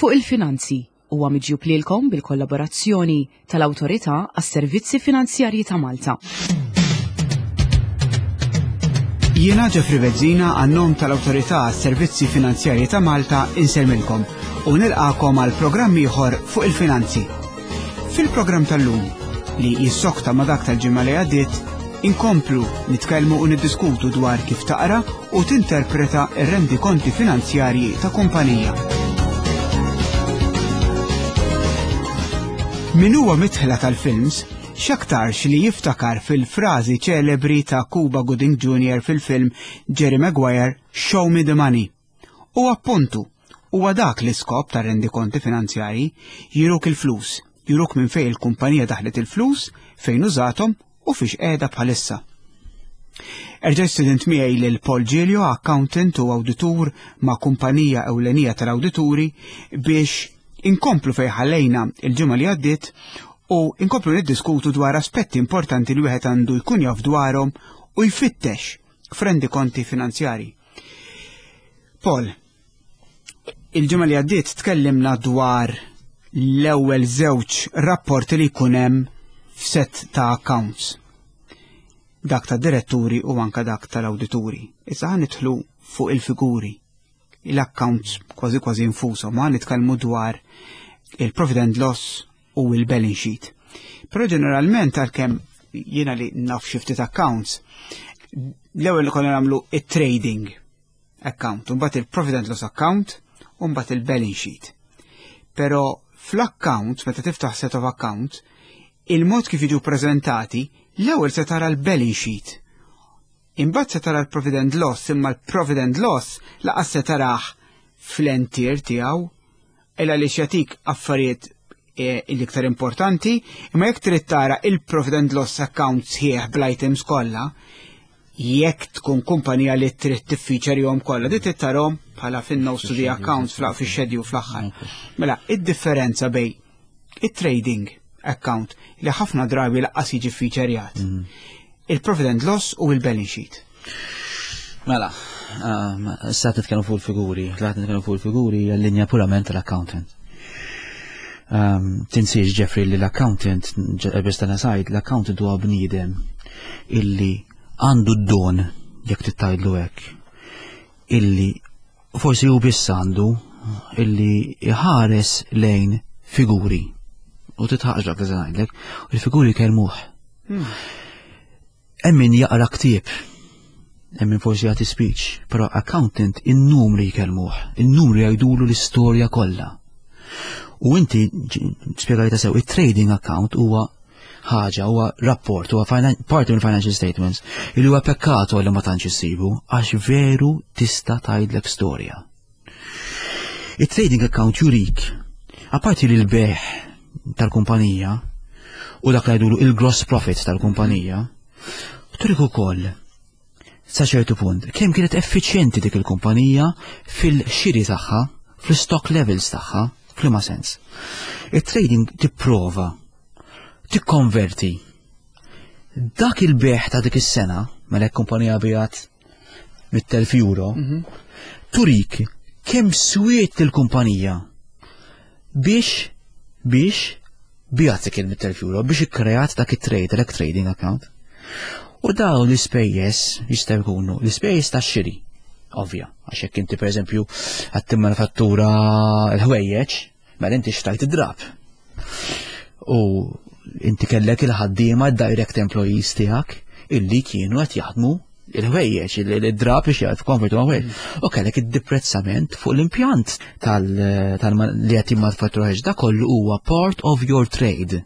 Fuq il-Finanzi huwa miġjub lilkom bil-kollaborazzjoni tal-Awtorità għas-Servizzi Finanzjarji ta' Malta. Jiena Jeffrey Bezzina għan-nom tal-Awtorità għas-Servizzi Finanzjarji ta' Malta insellmilkom u nilqakom għal programm ieħor fuq il-finanzi. Fil-programm tal-lum li jissokta ma' dak tal-ġimgħa li għaddiet, inkomplu nitkellmu u niddiskutu dwar kif taqra u tinterpreta r-rendikonti finanzjarji ta' kumpanija. Min huwa mitħla tal-films, x'aktarx li jiftakar fil-frażi ċelebri ta' Cuba Gooding Jr. fil-film Jerry Maguire Show Me the Money. U appuntu, huwa dak l-iskop tar-rendikonti finanzjarji, juruk il-flus, juruk minn fejn il-kumpanija daħlet il-flus, fejn użathom u fiex qiegħda bħalissa. Erġa' student miegħi lil Paul Giglio, accountant u awditur ma' kumpanija ewlenija tal-awdituri biex inkomplu fejn ħallejna il-ġimgħa li għaddiet u inkomplu niddiskutu dwar aspetti importanti li wieħed għandu jkun jaf dwarhom u jfittex f'rendikonti finanzjari. Paul, il-ġimgħa li għaddiet tkellimna dwar l-ewwel żewġ rapporti li jkun hemm f'set ta' accounts. Dak ta' diretturi u anka dak tal-awdituri. Issa ħa nidħlu fuq il-figuri. L-accounts kważi kważi infushom, ħa nitkellmu dwar il-profit and loss u il-balance sheet. Però ġeneralment għalkemm jiena li naf xi ftit accounts, l-ewwel li konna nagħmlu it-trading account, u mbagħad il-profit and loss account, u mbagħad il-balance sheet. Però fl-account, meta tiftaħ set of account, il-mod kif jiġu preżentati, l-ewwel se tara l-balance sheet. Imbagħad se tara l-profit and loss, imma l-profit and loss laqas se tarah fl-entier tiegħu, illa li jagħtik affarijiet eh, l-iktar importanti, imma jekk trid tara il-profit and loss account sħiħ bl-items kollha, jekk tkun kumpanija li trid tiffiċerjhom kollha, di trid tarhom bħala fin-notes to the accounts fix-schedule fl-aħħar. Mela, id-differenza bejn it-trading account li ħafna drabi laqqas jiġi featurejat, il-profit and loss u il-balance sheet. Mela, um, issa nitkellmu fuq il-figuri, tlaqt nitkellmu fuq il-figuri hija l-linja purament tal-accountant. Um, tinsiex Jeffrey li l-accountant, biss tana sajd, l-accountant huwa bniedem illi għandu d-don, jekk tittajdlu hekk, illi forsi hu biss għandu illi iħares lejn figuri. U titħaqx dak li se ngħidlek, il-figuri kellmuh. Hemm min jaqra ktieb, hemm min forsi jagħti speech, però accountant in-numri jkellmuh, in-numri jgħidulu l-istorja kollha. U inti spjegajta sew, it-trading account huwa ħaġa, huwa rapport, huwa parti mill financial statements, li huwa pekkato li ma tantx issibu għax veru tista' tgħidlek storja. Il-trading account jurik, apparti li l-beħ tal-kumpanija u dak li jgħidulu il-gross profit tal-kumpanija, turik ukoll sa ċertu punt kemm kienet effiċjenti dik il-kumpanija fil-xiri tagħha, fl-stock levels tagħha, f'liema sens. Il-trading tipprova tikkonverti dak il-beħ ta' dik is-sena, mela jekk kumpanija biegħet 100,000 euro, turik kemm swiet il-kumpanija biex biex biegħet dik il-100,000 euro biex ikkreat dak it-trade, dak trading account. U dawn l-ispejjeż jistgħu jkunu l-ispejjeż tax-xiri, ovvja, għax jekk inti pereżempju qed timmanufattura l-ħwejjeġ, mela inti xtrajt id-drab. U inti kellek il-ħaddiema direct employees tiegħek illi kienu qed jaħdmu il-ħwejjeġ, il-drab biex jgħid konvertu ħwejjeġ. U kellek id-deprezzament fuq l-impjant tal li qed jimmanufattura ħwejjeġ. Da kollu huwa part of your trade.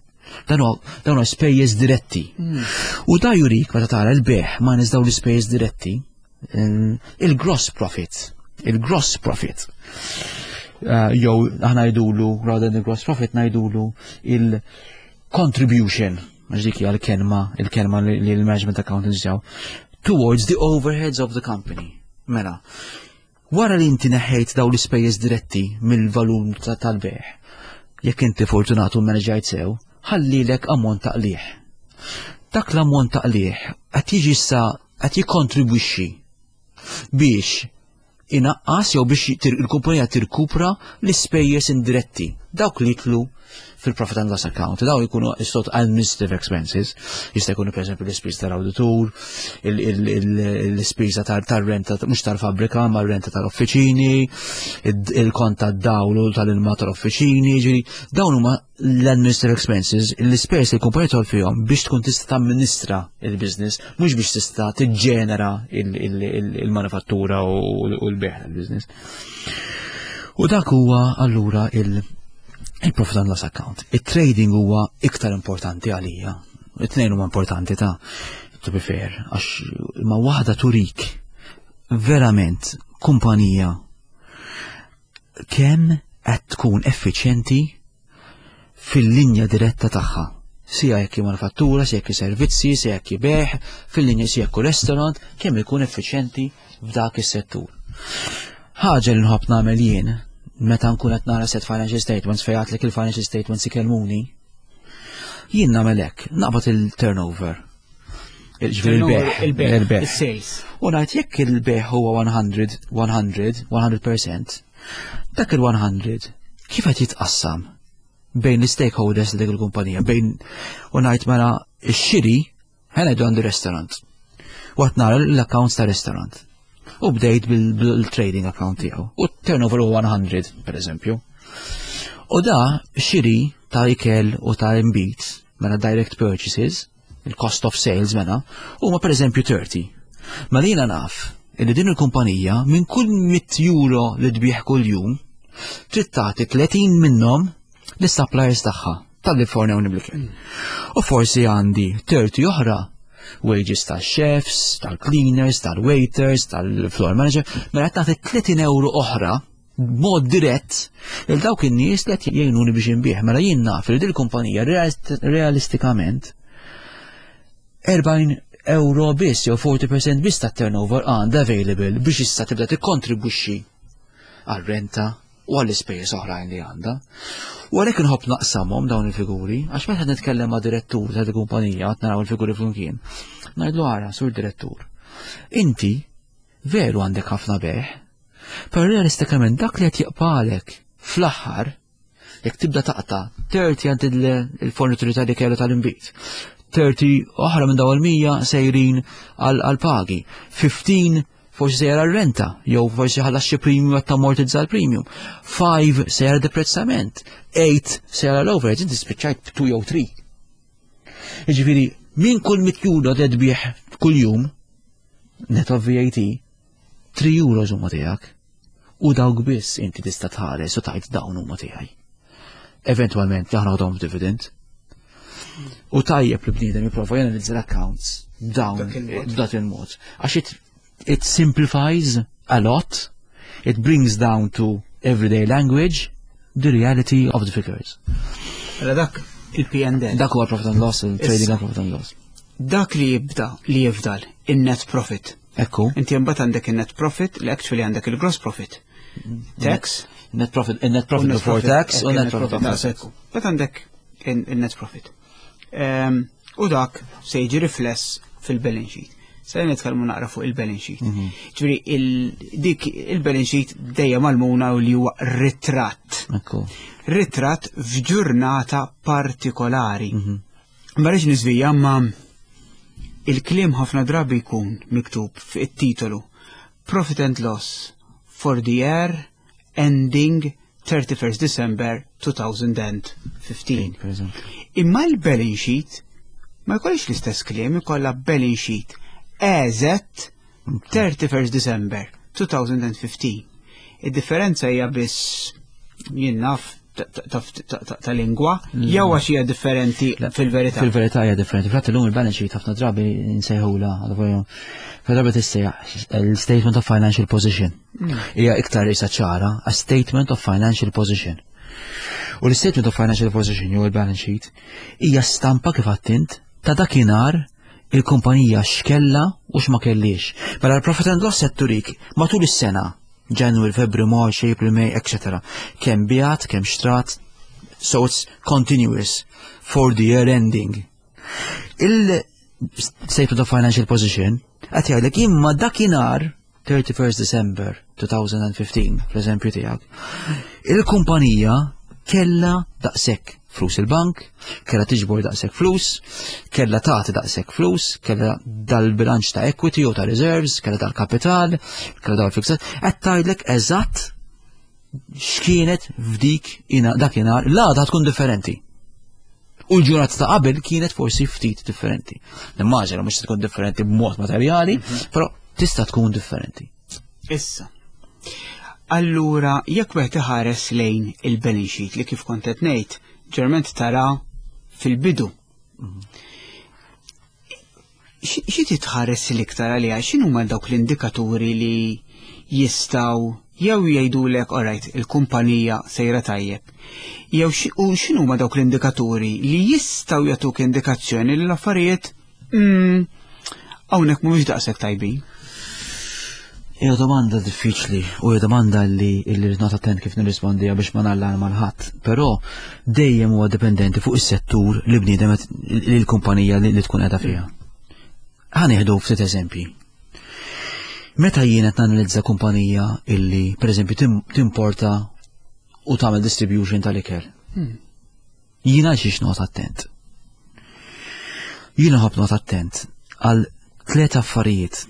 Dan huwa spejjeż diretti. U da jurik meta tara l-beħ ma dawn l-ispejjeż diretti, il-gross profit, il-gross profit. Jew aħna ngħidulu rather than the gross profit ngħidulu il-contribution, għax dik hija l-kelma, il-kelma li l-management accountants ġew, towards the overheads of the company. Mela, wara li inti neħħejt dawn l-ispejjeż diretti mill-valur tal-beħ, jekk inti fortunatu manaġajt sew, ħallilek ammont ta' qligħ. Dak l-ammont ta' qligħ qed jiġi issa qed jikkontribwixxi biex inaqqas jew biex il-kumpanija tirkupra l-ispejjeż indiretti, dawk li jitlu fil-profit and loss account. Dawn jkunu sort administrative expenses, jista' jkunu pereżempju l-ispiża tal-awditur, l-ispiża tar-renta mhux tal-fabbrika, ma renta tal-offiċini, il-kont tad-dawl u tal-ilma tal-offiċini, ġifieri dawn huma l-administrative expenses, l-ispejjeż li l-kumpanija tol fihom biex tkun tista' tamministra il-business, mhux biex tista' tiġġenera il-manifattura u l-beħ tal-business. U dak huwa allura il-profit and loss account. Il-trading huwa iktar importanti għalija. It-tnejn huma importanti ta' to be fair, għax ma waħda turik verament kumpanija kemm qed tkun effiċjenti fil-linja diretta tagħha. Sija jekk manifattura, sija jekk servizzi, sija jekk beħ, fil-linja sija jekk restaurant, kemm ikun effiċjenti f'dak is-settur. Ħaġa li nħobb nagħmel jien meta nkun qed nara set financial statements fejn għatlek il-financial statements ikellmuni, jien nagħmel hekk, naqbad il-turnover. Il-beħ, il-beħ, il-sales. U ngħid jekk il-beħ huwa 100, 100, 100%, dak il-100 kif qed jitqassam bejn l-stakeholders dik il-kumpanija, bejn u ngħid mela x-xiri ħa ngħidu għandi restaurant. Waqt nara l-accounts ta' restaurant. U bdejt bil-trading account tiegħu. U turnover huwa 100, per eżempju. U da xiri ta' ikel u ta' imbit, mela direct purchases, il-cost of sales mela, huma per eżempju 30. Ma li naf illi din il-kumpanija minn kull 100 euro li tbieħ kull jum, trid tagħti 30 minnhom lis-suppliers tagħha tal-li fornew bl-ikel. U forsi għandi 30 oħra wages tal-chefs, tal-cleaners, tal-waiters, tal-floor manager, mela qed nagħti 30 euro oħra b'mod dirett il dawk in-nies li qed jgħinuni biex inbih. Mela jien naf li din il-kumpanija realistikament 40 euro biss jew 40% biss tat-turnover għandha available biex issa tibda tikkontribwixxi għal-renta u għall-ispejjeż oħrajn li għandha. U għalhekk inħobb naqsamhom dawn il-figuri, għax meta nitkellem ma' direttur ta' kumpanija qed naraw il-figuri flimkien, ngħidlu ara, sur direttur, inti veru għandek ħafna beħ, però realistikament dak li qed jibqagħlek fl-aħħar jekk tibda taqta' 30 għand il-fornituri tal-ikel u tal-inbid, 30 oħra minn dawn il-100 sejrin għal-pagi, 15 forsi sejra r-renta, jew forsi ħallas xi premium qed tammortizza l-premium. 5 sejra deprezzament, 8 sejra l-overheads, inti spiċċajt 2 jew 3. Jiġifieri, minn kull 100 euro tbigħ kull jum, net of VAT, 3 euros huma tiegħek. U dawk biss inti tista' tħares u tgħid dawn huma tiegħi. Eventwalment aħna għadhom dividend. U tajjeb li bniedem jipprova janalizza l-accounts dawn b'dak il-mod. Għax it simplifies a lot, it brings down to everyday language the reality of the figures. Mela dak il-P&L. Dak huwa profit and loss, il-trading and profit and loss. Dak li jibda li jifdal in-net profit. Ekku. Inti mbagħad għandek in-net profit li actually għandek il-gross profit. Tax. Net profit, net profit before tax u net profit after tax. Mbagħad għandek il-net profit. U dak se jiġi rifless fil-balance sheet. Se nitkellmu naqra fuq il-balance sheet. Ġifieri dik il-balance sheet dejjem għallmuna u li huwa ritratt. Ritratt f'ġurnata partikolari. Ma rridx niżvija ma il-kliem ħafna drabi jkun miktub fit-titolu Profit and Loss for the year ending 31st December 2015. Imma l-balance sheet ma jkollix l-istess kliem, ikollha balance sheet as at 31st December 2015. Id-differenza hija biss jien naf ta' lingwa, jew għax hija differenti fil-verità. Fil-verità hija differenti. Fil-fatt illum il-balance sheet ħafna drabi nsejħula, ħafna drabi tissejjaħ il-statement of financial position. Hija iktar isa ċara, a statement of financial position. U l-statement of financial position jew il-balance sheet hija stampa kif għedt int ta' dakinhar il-kumpanija x'kella u x'ma kellix. Mela l-profit and loss qed turik matul is-sena January, February, March, April, May, etc. Kemm biegħet, kemm xtrat, so it's continuous for the year ending. Il-statement of financial position qed jgħidlek imma dakinhar 31 December 2015, fl-eżempju tiegħek, il-kumpanija kella daqshekk flus il-bank, kella tiġbor daqshekk flus, kella tagħti daqshekk flus, kella dal-bilanċ ta' equity u ta' reserves, kella dal-kapital, kella dal-fixed, qed tgħidlek eżatt x'kienet f'dik dakinhar, l-għada tkun differenti. U l-ġurnata ta' qabel kienet forsi ftit differenti. Nimmaġina mhux tkun differenti b'mod materjali, però tista' tkun differenti. Issa. Allura, jekk wieħed iħares lejn il-balance sheet li kif kont qed ngħid, ġerment tara fil-bidu. Xi titħares l-iktar għaliha, x'inhuma dawk l-indikaturi li jistgħu jew jgħidulek alright il-kumpanija sejra tajjeb. Jew u x'inhuma dawk l-indikaturi li jistgħu jagħtuk indikazzjoni li l-affarijiet hawnhekk mhumiex daqshekk tajbin. Hija domanda diffiċli u hija domanda li li rrid attent kif nirrispondiha biex ma nallarma l-ħadd, però dejjem huwa dipendenti fuq is-settur li bniedem li l-kumpanija li tkun qiegħda fiha. Ħa nieħdu ftit eżempji. Meta jien qed nanalizza kumpanija illi pereżempju timporta u tagħmel distribution tal-ikel. Jiena xiex noqgħod attent. Jiena ħobb noqgħod attent għal tliet affarijiet.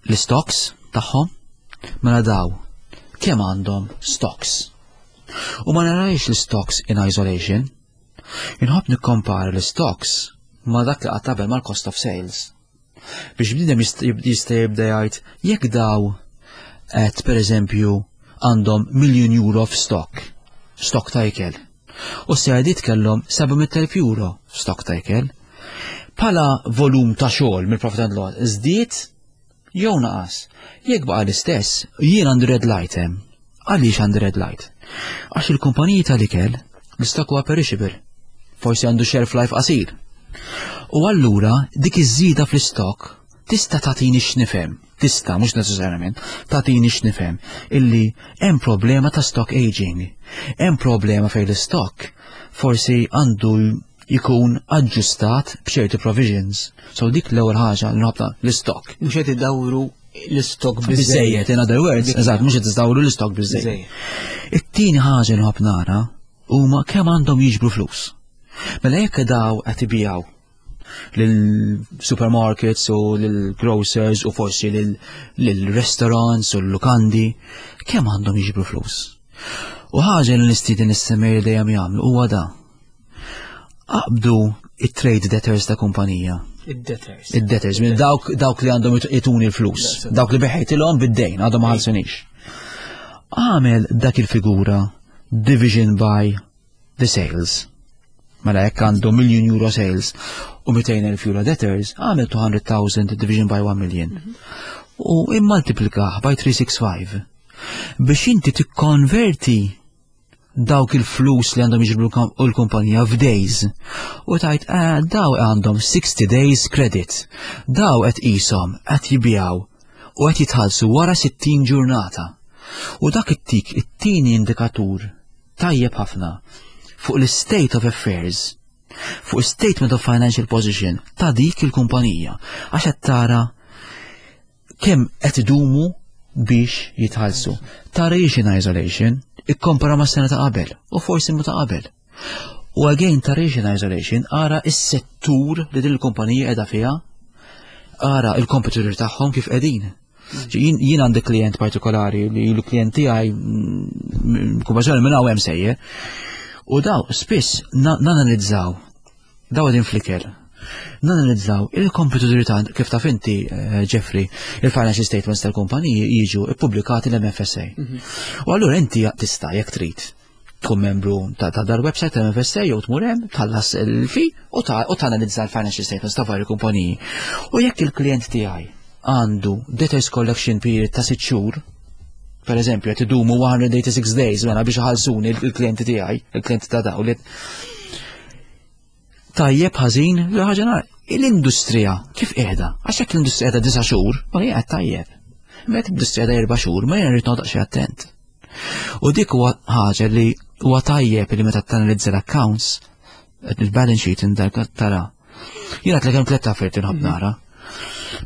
L-stocks tagħhom mela daw kemm għandhom stocks. U ma narajx l-stocks in isolation. Inħobb nikkompara l-stocks ma dak li qatt qabel mal-cost of sales. Biex bniedem jista' jibda jgħid jekk daw qed pereżempju għandhom miljun euro f'stock, stock ta' ikel. U s-sejdiet kellhom 700,000 euro f'stock ta' ikel. Pala volum ta' xogħol mill-profit and loss żdied jew naqas. Jekk baqa' l-istess, jien għandi red light hemm. Għaliex għandi red light? Għax il-kumpaniji tal-ikel l-stock huwa perishable. Forsi għandu shelf life qasir. U allura dik iż-żieda fl-istock tista' tagħtini x'nifhem, tista' mhux neċessarjament, tagħtini x'nifhem illi hemm problema ta' stock aging. Hemm problema fejn l-istock forsi għandu jkun aġġustat b'ċerti provisions. So dik l-ewwel ħaġa li nħobta l-istock. Mhux qed idawru l-istock biżejjed, in other words, eżatt, mhux qed iżdawru l-istock biżejjed. It-tieni ħaġa li nħobb nara huma kemm għandhom jiġbru flus. Mela jekk daw qed ibijaw lil-supermarkets u lil-grocers u forsi lil-restaurants u l-lukandi, kemm għandhom jiġbru flus. U ħaġa li nistieden is-semmer dejjem jagħmlu huwa da. Aqbdu it-trade debtors ta' kumpanija. Id-debtors. Id-debtors, minn dawk, dawk li għandhom ituni l-flus, dawk li beħejtilhom bid-dejn, għadhom ma ħallsunix. Għamel dak il-figura division by the sales. Mela jekk għandu million euro sales u 200,000 euro debtors, għamel 200,000 division by 1 million. U immultiplikah by 365. Biex inti tikkonverti dawk il-flus li għandhom jiġbru l-kumpanija f'days. U tajt, eh, daw għandhom 60 days credit. Daw qed qishom qed jibjaw u qed jitħallsu wara 60 ġurnata. U dak it-tik it-tieni indikatur tajjeb ħafna fuq l-state of affairs, fuq statement of financial position ta' dik il-kumpanija. Għax qed tara kemm qed idumu biex jitħallsu. Tara jiex in isolation, ikkompara ma' sena ta' qabel u forsi ma ta' qabel. U again tara jiex in isolation, ara is-settur li din il-kumpanija qiegħda fiha, ara il-competitor tagħhom kif qegħdin. Jien għandi klient partikolari li l-klient tiegħi kumpanija minn hawn hemm sejjer. U daw spiss nanalizzaw daw qegħdin flicker. Nanalizzaw il-kompetituri ta' kif taf inti, eh, Jeffrey, il-financial statements tal-kumpaniji jiġu ippubblikati l-MFSA. U allura inti tista' jekk trid tkun membru ta' dal-website tal-MFSA jew tmur hemm tħallas il-fi u tanalizza l-financial statements ta' vari kumpaniji. U jekk il-klient tiegħi għandu debtors collection period ta' sitt xhur, per eżempju, qed idumu 186 days mela biex iħallsuni il-klijenti tiegħi, il-klijenti ta' daw li tajjeb ħażin li ħaġa nara. L-industrija kif qiegħda? Għax jekk l-industrija qiegħda disa' xhur, ma hija qed tajjeb. Meta l-industrija qiegħda erba' xhur, ma jiena rrid noqgħod xi attent. U dik huwa ħaġa li huwa tajjeb li meta tanalizza l-accounts, il-balance sheet indak tara. Jiena tlekem tliet affarijiet inħobb nara.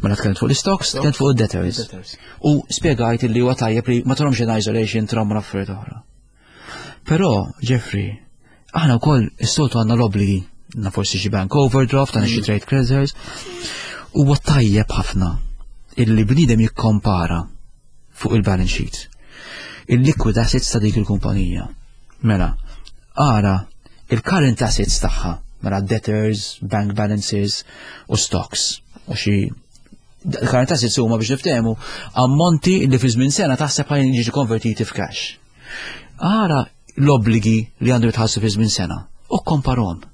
Mela tkellimt fuq l-stocks, tkellimt fuq id-debtors. U spjegajt li huwa tajjeb li ma tarhomx in isolation tarhom affarijiet oħra. Però, Jeffrey, aħna wkoll is-soltu għandna l-obbligi, għandna forsi xi bank overdraft, għandna xi trade creditors. Huwa tajjeb ħafna illi bniedem jikkompara fuq il-balance sheet il-liquid assets ta' dik il-kumpanija. Mela, ara il-current assets tagħha, mela debtors, bank balances u stocks u xi current assets huma biex niftehmu ammonti li fi żmien sena taħseb ħajn jiġu konvertiti f'cash. Ara l-obbligi li għandu jitħassu fi żmien sena u komparhom.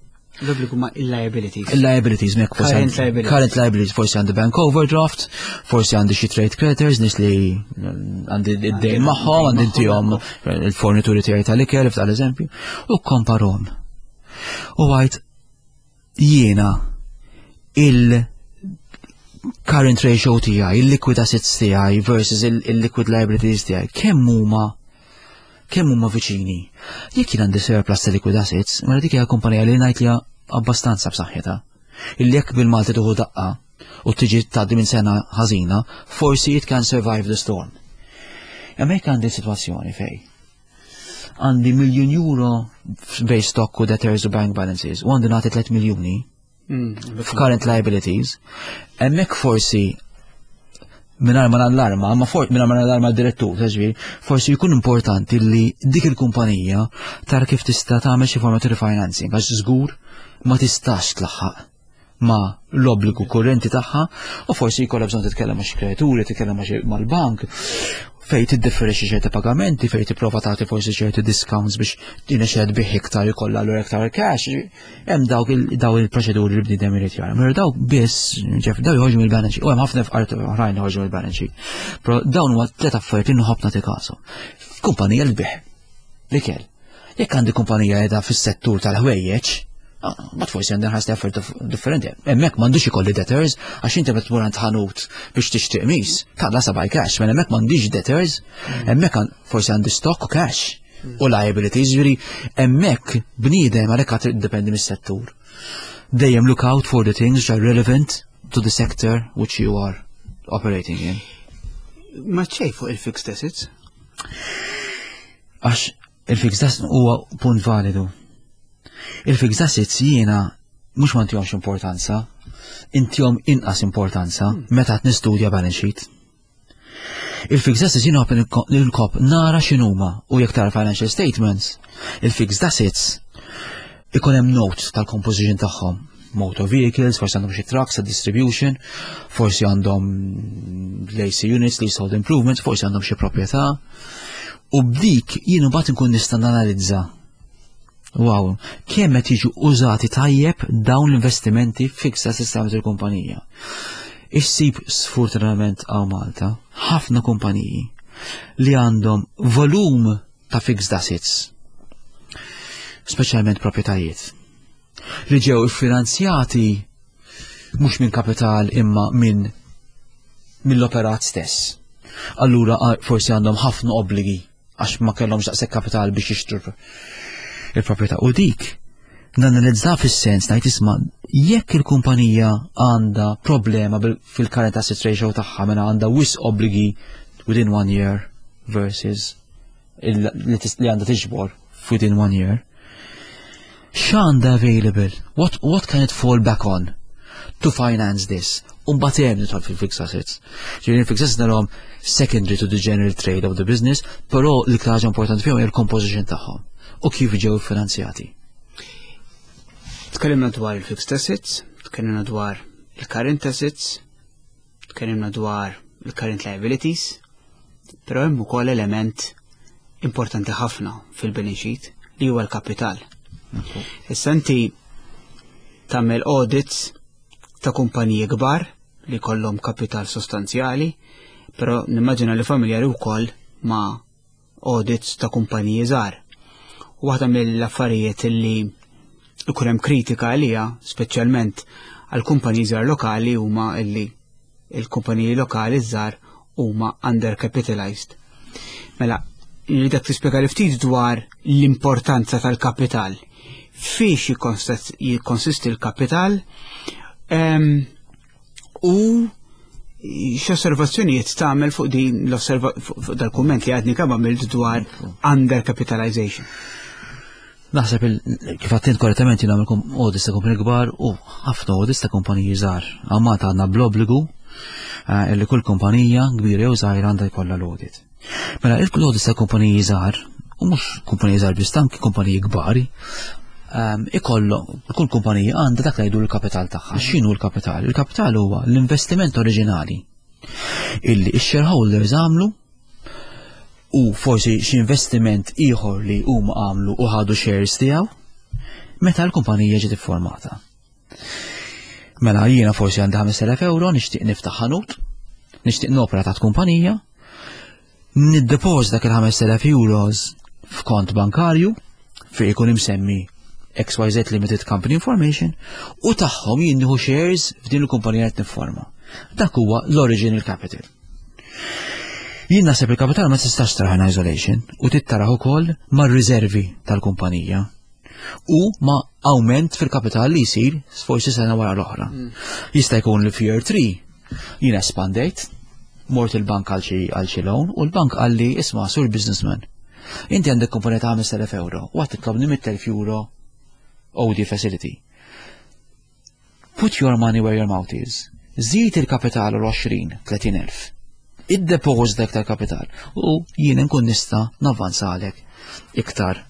L-obbligu ma' il-liabilities. Il-liabilities, mek forsi. Current liabilities. Current liabilities, forsi għandi bank overdraft, forsi għandi xi trade creditors, nies li għandi id-dejn magħhom, għandi intihom il-fornituri tiegħi tal-ikel, f'tal eżempju, u komparhom. U għajt jiena il- current ratio tiegħi, il-liquid assets tiegħi versus il-liquid liabilities tiegħi, kemm huma kemm huma viċini. Jekk jien għandi surplus ta' liquid assets, mela dik hija kumpanija li ngħid li abbastanza b'saħħitha. Illi jekk bil-Malti tuħu daqqa u tiġi tgħaddi minn sena ħażina, forsi it can survive the storm. Imma jekk għandi sitwazzjoni fej għandi miljun euro bej stock u debtors u bank balances u għandi nagħti 3 miljuni, f'current liabilities, hemmhekk forsi mingħajr ma nallarma, ma for mingħajr ma nallarma d-direttur, ġifieri, forsi jkun importanti li dik il-kumpanija tara kif tista' tagħmel xi forma ta' refinancing għax żgur ma tistax tlaħħaq ma l-obbligu kurrenti tagħha u forsi jkollha bżonn titkellem ma' xi kredituri, titkellem mal-bank fej tiddifferixxi ċerti pagamenti, fej tipprova tagħti forsi ċerti discounts biex tinexed bih iktar ikollha allura iktar cash. Hemm dawk daw il-proċeduri li bniedem irid jara. Mela dawk biss, ġef, daw joħorġu mill-balance sheet. U hemm ħafna fqar oħrajn joħorġu mill-balance sheet. Però dawn huwa tliet affarijiet li nħobb nagħti kasu. Kumpanija li tbih l-ikel. Jekk għandi kumpanija qiegħda fis-settur tal-ħwejjeġ, ah, ma forsi għandi ħas affarijiet differenti. Hemmhekk m'għandux ikolli debtors għax inti meta tmur għand ħanut biex tixtri qmis, talla sabaj cash, mela hemmhekk m'għandix debtors, hemmhekk forsi għandi stock u cash u liabilities, ġifieri hemmhekk bniedem għalhekk għad tiddependi mis-settur. Dejjem look out for the things which are relevant to the sector which you are operating in. Ma ċej fuq il-fixed assets? Għax il-fixed assets huwa punt validu. Il-fixed assets jiena mhux ma ntihomx importanza, intihom inqas importanza meta qed nistudja balance sheet. Il-fixed assets jiena nħobb nara x'inhuma u jekk tara financial statements, il-fixed assets ikun hemm notes tal-composition tagħhom. Motor vehicles, forsi għandhom xi trucks distribution, forsi għandhom l-AC units, leasehold improvements, forsi għandhom xi proprjetà. U b'dik jien mbagħad inkun nista' nanalizza Wow, kemm qed jiġu użati tajjeb dawn l-investimenti fixed assets ta' il-kumpanija. Issib sfortunatament hawn Malta ħafna kumpaniji li għandhom volum ta' fixed assets, speċjalment proprjetajiet, li ġew iffinanzjati mhux minn kapital imma minn mill-operat stess. Allura forsi għandhom ħafna obbligi għax ma kellhomx daqshekk kapital biex jixtru il-proprjetà. U dik nanalizza fis-sens ngħid isma' jekk il-kumpanija għandha problema fil-current asset ratio tagħha mela għandha wisq obbligi within one year versus li għandha tiġbor within one year. X'għandha available? What, what can it fall back on to finance this? Umbagħad hemm nidħol fil-fixed assets. Ġifieri fixed assets narahom secondary to the general trade of the business, però l-iktar ħaġa importanti fihom hija l-composition tagħhom u kif ġew finanzjati. Tkellimna dwar il-fixed assets, tkellimna dwar il-current assets, tkellimna dwar il-current liabilities, però hemm ukoll element importanti ħafna fil-balance sheet li huwa l-kapital. Issa inti tagħmel audits ta' kumpaniji kbar li kollhom kapital sostanzjali, però nimmaġina li familjari wkoll ma' audits ta' kumpaniji żgħar. U waħda mill-affarijiet li ikun hemm kritika għalija, speċjalment għal kumpaniji żgħar lokali huma illi il-kumpaniji lokali żgħar huma undercapitalized. Mela, nridek tispjega li ftit dwar l-importanza tal-kapital. Fiex jikkonsisti l-kapital u X'osservazzjonijiet tagħmel fuq din l-osserva fuq dal-kumment li għadni kemm għamilt dwar undercapitalization? Naħseb kif għattint korrettament jien nagħmel audits ta' kumpaniji kbar u ħafna audits ta' kumpaniji żgħar. Għamata għandna bl-obbligu eh, li kull kumpanija kbira jew żgħira għandha jkollha l-audit. Mela il-audits ta' kumpaniji żgħar u mhux kumpaniji żgħar biss anki kumpaniji kbar ehm, ikollu kull kumpanija għandha dak li jgħidu l-kapital tagħha. X'inhu l-kapital? Il-kapital huwa l-investiment oriġinali illi x-shareholders għamlu u forsi xi investiment ieħor li huma għamlu u ħadu shares tiegħu meta l-kumpanija ġiet iffurmata. Mela jiena forsi għandi 5000 euro nixtieq niftaħ ħanut, nixtieq nopra taħt kumpanija, niddepożita dak il-5000 euros f'kont bankarju fejn ikun imsemmi XYZ Limited Company Information u tagħhom jien nieħu shares f'din il-kumpanija qed nifforma. Dak huwa l-original capital. Jien naħseb il-kapital ma tistax taraħ in isolation u tittaraħ ukoll mar-riservi tal-kumpanija u ma' awment fil-kapital li jsir forsi sena wara l-oħra. Jista' jkun li f'year 3 jien espandejt, mort il-bank għal xi għal xi loan u l-bank qal li isma' sur businessman. Inti għandek kumpanija ta' 5000 euro u għad titlobni 100,000 euro OD facility. Put your money where your mouth is. Żid il-kapital l-20, 30 elf. Iddepożita iktar kapital u jien nkun nista' navvanzalek iktar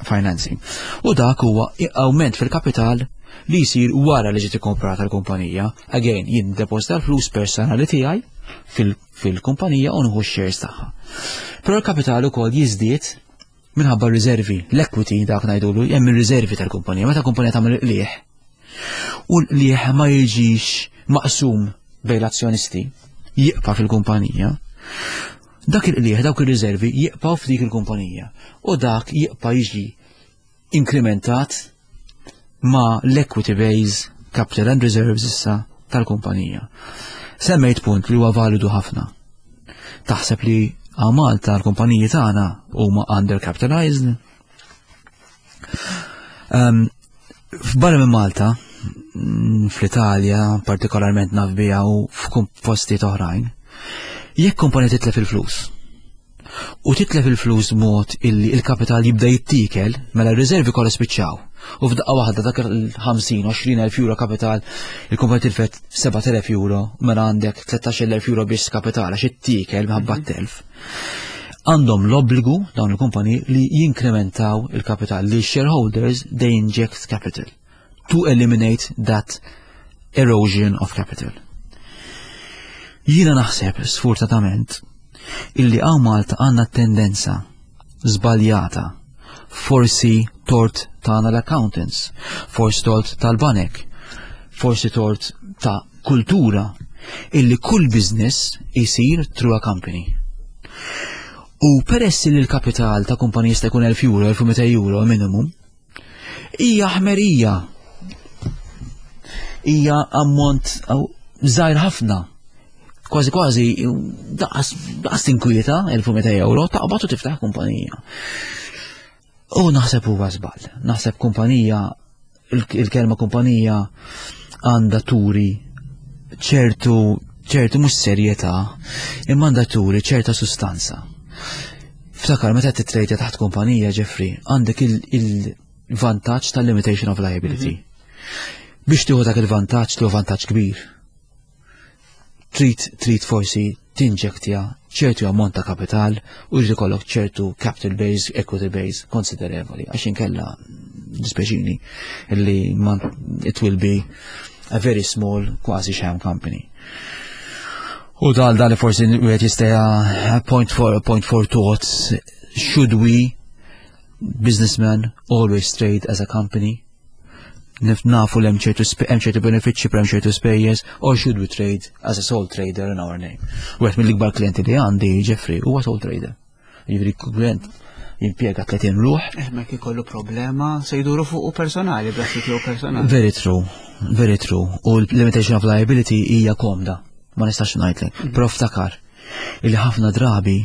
financing. U dak huwa awment fil-kapital li jsir wara li ġiet ikkomprata l-kumpanija. Again, jien depożita l-flus personali tiegħi fil-kumpanija u nieħu x-shares tagħha. Però l-kapital ukoll jiżdied minħabba r-riservi, l-equity dak ngħidulu, hemm ir-riservi tal-kumpanija. Meta kumpanija tagħmel qligħ u l-qligħ ma jiġix maqsum bejn l-azzjonisti, jibqa' fil-kumpanija. Dak il-qligħ, dawk ir-riservi jibqgħu f'dik il-kumpanija u dak jibqa' jiġi inkrementat ma l-equity base capital and reserves issa tal-kumpanija. Semmejt punt li huwa validu ħafna. Taħseb li għal Malta l-kumpaniji tagħna huma undercapitalized? Um, F'barra minn Malta, fl-Italja, partikolarment naf biha u f'postijiet oħrajn, jekk kumpanija titlef il-flus, u titlef il-flus mod illi il-kapital jibda jittikel, mela r-riservi kollha spiċċaw. U f'daqqa waħda dak il-50, 20 elf euro kapital, il-kumpanija tilfet 7,000 euro, mela għandek 13,000 euro biss kapital għax ittikel minħabba mhm. telf. Għandhom l-obbligu dawn il-kumpaniji li jinkrementaw il-kapital li shareholders they inject capital to eliminate that erosion of capital. Jiena naħseb, sfortunatament, illi hawn Malta għandna tendenza żbaljata, forsi tort tagħna l-accountants, forsi tort tal-banek, forsi tort ta' kultura, illi kull business isir through a company. U peress li l-kapital ta' kumpanija jista' jkun 1000 euro, 1200 euro minimum, hija ħmerija. Hija ammont żgħir ħafna. Kważi kważi daqas daqas tinkwieta 1200 euro taqbad u tiftaħ kumpanija. U naħseb huwa żball. Naħseb kumpanija il-kelma kumpanija għandha turi ċertu ċertu mhux serjetà, imma għandha turi ċerta sustanza. Ftakar meta titrejta taħt kumpanija, Jeffrey, għandek il-vantaġġ tal-limitation of liability. Mhm. Biex tieħu dak il-vantaġġ, tieħu vantaġġ kbir. Trid trid forsi tinġektja ċertu ammont ta' kapital u jrid ikollok ċertu capital base, equity base konsiderevoli, għax inkella dispeċini li it will be a very small quasi sham company. U dal dal forsi wieħed jista' point for point for thoughts should we businessmen always trade as a company? Nafu li hemm ċertu hemm ċertu benefiċċji per hemm ċertu spejjeż or should we trade as a sole trader in our name? Wieħed mill-ikbar klienti li għandi Jeffrey huwa sole trader. Jiġifieri klient jimpjega 30 ruħ. Eh, ma ikollu problema se jduru fuq u personali, b'rassi tiegħu personali. Very true, very true. U l-limitation of liability hija komda, ma nistax ngħidlek. Però ftakar illi ħafna drabi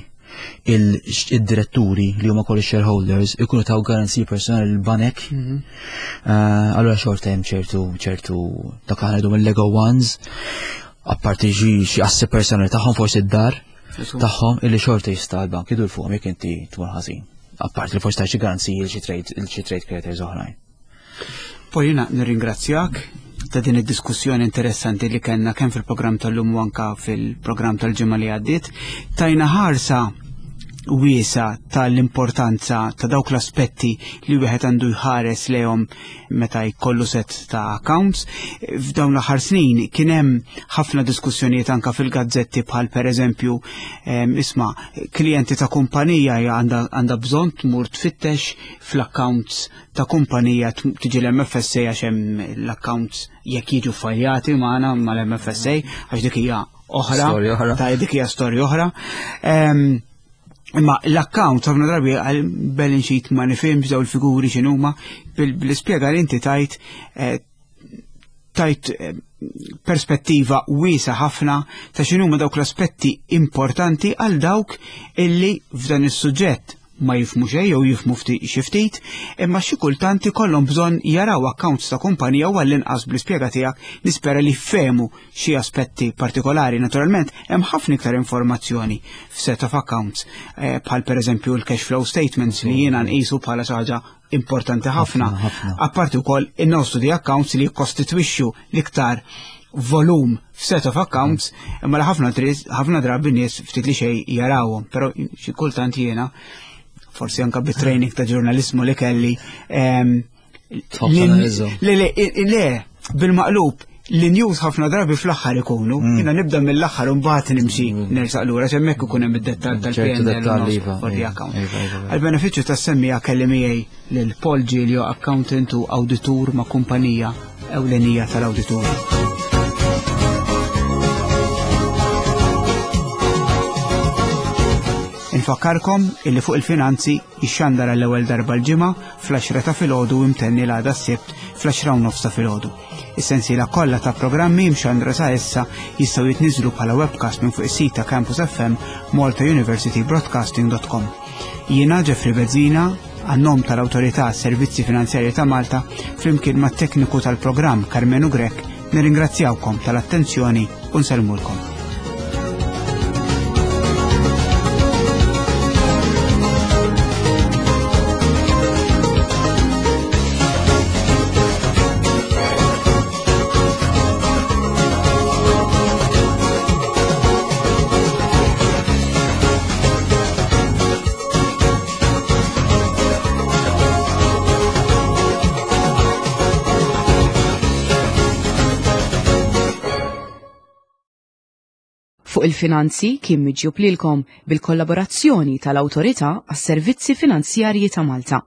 il-diretturi li huma kollu shareholders ikunu taw garanziji personali l-banek. Mhm. Eh, allura xorta hemm ċertu ċertu dak aħna mill-Lego ones. Apparti xi xi assi personali tagħhom forsi d-dar tagħhom illi xorta jista' l-bank idur fuqhom jekk inti tmur ħażin. Apparti li forsi ta' xi garanziji li xi trade xi trade creditors oħrajn. Poi jiena nirringrazzjak ta' din id-diskussjoni interessanti li kellna kemm fil-programm tal-lum u anka fil-programm tal-ġimgħa li għaddiet. Tajna ħarsa wiesa tal-importanza ta' dawk l-aspetti li wieħed għandu jħares lehom meta jkollu set ta' accounts. F'dawn l-aħħar snin kien hemm ħafna diskussjonijiet anka fil-gazzetti bħal pereżempju isma' klijenti ta' kumpanija għandha bżonn tmur tfittex fl-accounts ta' kumpanija tiġi l-MFSA għax hemm l-accounts jekk jiġu fajjati magħna mal-MFSA għax dik hija oħra, ta' dik hija storja oħra. Imma l-account ħafna drabi għal balance sheet ma nifhimx daw il-figuri x'inhuma bil-ispjega li inti tajt eh, tajt eh, perspettiva wiesa ħafna ta' x'inhuma dawk l-aspetti importanti għal dawk illi f'dan is-suġġett ma jifhmu xejn jew jifhmu xi ftit, imma xi kultant ikollhom bżonn jaraw accounts ta' kumpanija u għall-inqas bl-ispjega tiegħek nispera li fehmu xi aspetti partikolari. Naturalment, hemm ħafna iktar informazzjoni f'set of accounts, eh, bħal pereżempju l-cash flow statements li jiena nqisu bħala xi ħaġa importanti ħafna. Apparti wkoll in-notes to the accounts li jikkostitwixxu l-iktar volum f'set of accounts imma li ħafna ħafna drabi nies ftit li xejn jarawhom, però xi kultant jiena forsi anka bit-training ta' ġurnalismu li kelli le le le bil-maqlub li news ħafna drabi fl-aħħar ikunu, mm. jiena nibda mill-aħħar u mbagħad nimxi mm. nersaq lura hemmhekk ikun hemm id-dettall tal-PNL iva, for the iva, account. Iva, Għal-benefiċċju tas-semmija kelli miegħi lil Paul Giglio, accountant u awditur ma' kumpanija ewlenija tal-awditur. Infakkarkom illi fuq il-finanzi jixxandar għall-ewwel darba l-ġimgħa fl-10 ta' filgħodu imtenni l-għada s-sibt fl-10 u nofs ta' filgħodu. Is-sensiela kollha ta' programmi mxandra sa issa jistgħu jitniżlu bħala webcast minn fuq is-sit ta' Campus FM maltauniversitybroadcasting.com. Jiena Jeffrey Bezzina, għan-nom tal-Awtorità Servizzi Finanzjarji ta' Malta, flimkien mat-tekniku tal-programm Karmenu Grech, nirringrazzjawkom tal-attenzjoni u nsellmulkom. Fuq il-finanzi kien miġjub lilkom bil-kollaborazzjoni tal-Awtorità għas-Servizzi Finanzjarji ta' Malta.